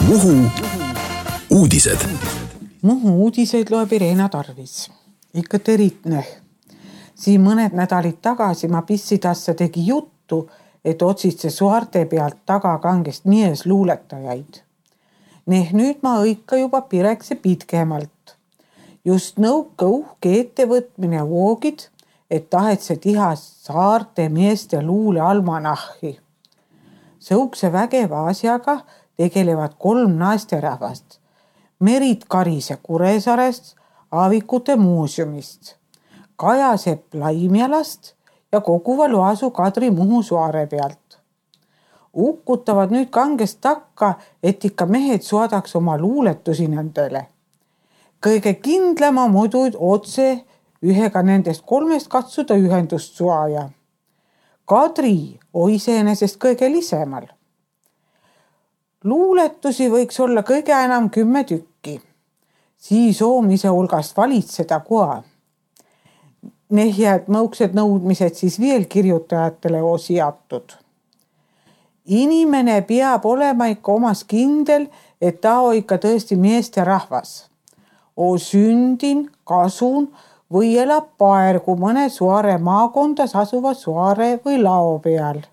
Muhu uudised. Muhu uudiseid loeb Irena Tarvis. Ikka teritne. Siin mõned nädalid tagasi ma Pissidassa tegi juttu, et otsitse suarte pealt taga kangest mies luuletajaid. Nüüd ma õikka juba pirekse pitkemalt. Just nõuka uhke ettevõtmine voogid, et tahetse tiha saarte meeste luule almanahhi. Sõukse vägeva asjaga tegelevad 3 naisterahvast. Merit Karise Kuressaarest, Aavikute muuseumist, Kaja Sepp Laimjalast ja Koguva Loasu Kadri Muhu Suare pealt. Ukkutavad nüüd kangest takka, et ikka mehed suadaks oma luuletusi nendele. Kõige kindlama muidu otse ühega nendest 3 katsuda ühendust suaja. Kadri on iseenesest kõige lisemal. Luuletusi võiks olla kõige enam 10 tükki. Siis oomise hulgast valitseda koa. Nehjad mõuksed nõudmised siis veel kirjutajatele osiatud. Inimene peab olema ikka omas kindel, et ta on ikka tõesti meeste rahvas. O sündin, kasun või elab paergu mõne suare maakondas asuva suare või lao peal.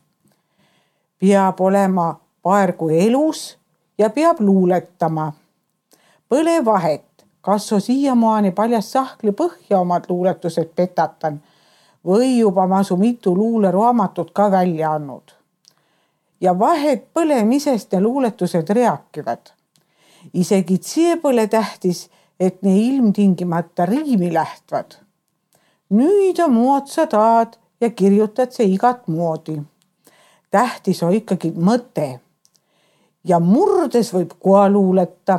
Peab olema paergu elus ja peab luuletama. Põle vahet, kas on siiamaani paljas sahkli põhja omad luuletused petatan või juba masu mitu luuleraamatut ka välja andnud. Ja vahet põlemisest ja luuletused rääkivad. Isegi see põle tähtis, et ne ilmtingimata riimi lähtvad. Nüüd on muotsa taad ja kirjutad see igat moodi. Tähtis on ikkagi mõte. Ja murdes võib koa luuleta.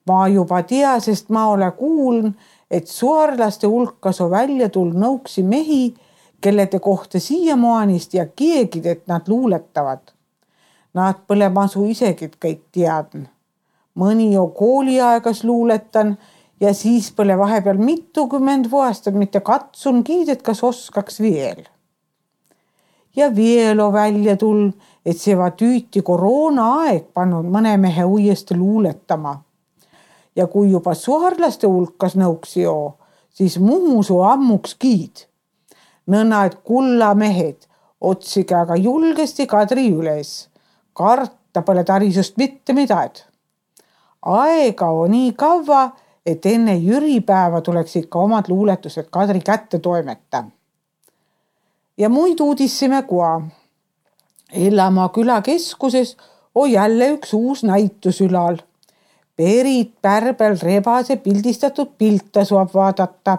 Ma juba tea, sest ma ole kuuln, et suarlaste hulkas on välja tulnud nõuksi mehi, kellede kohta siiamaanist ja keegid, et nad luuletavad. Nad põle masu isegid kõik teadn. Mõni on kooliaegas luuletan ja siis põle vahepeal mitukümmend vuostat mitte katsun kiidet, kas oskaks veel. Ja veel on välja tulnud, et see va tüüti koroona aeg pannud mõne mehe uuesti luuletama. Ja kui juba suarlaste hulkas nõuksi joo, siis Muhus on ammuks kiid. Nõnna, et kulla mehed otsige aga julgesti Kadri üles. Karta pole tarisust mitte midagi. Aega on nii kaua, et enne jüripäeva tuleks ikka omad luuletused Kadri kätte toimeta. Ja muid uudissime koa. Ellamaa küla keskuses on jälle üks uus näitus ülal. Perit Pärbel Rebase pildistatud pilta saab vaadata.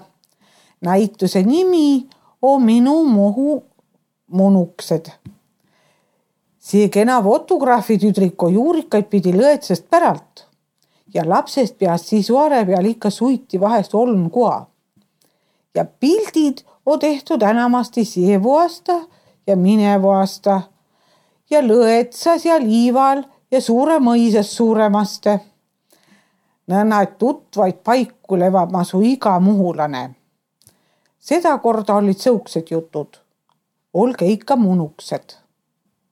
Näituse nimi on Minu Muhu munuksed. See kena fotograafitüdriko juurikaid pidi lõetsest päralt ja lapsest peast siis suare peal ikka suiti vahest oln koa. Ja pildid on tehtud enamasti seevu aasta ja minevu aasta ja lõetsas ja liival ja suure mõisas suuremaste. Nõnna, et tutvaid paiku levab masu iga muhulane. Seda korda olid sõuksed jutud. Olge ikka munuksed.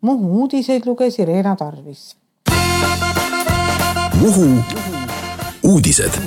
Muhu uudiseid luges Irena Tarvis. Muhu uudised.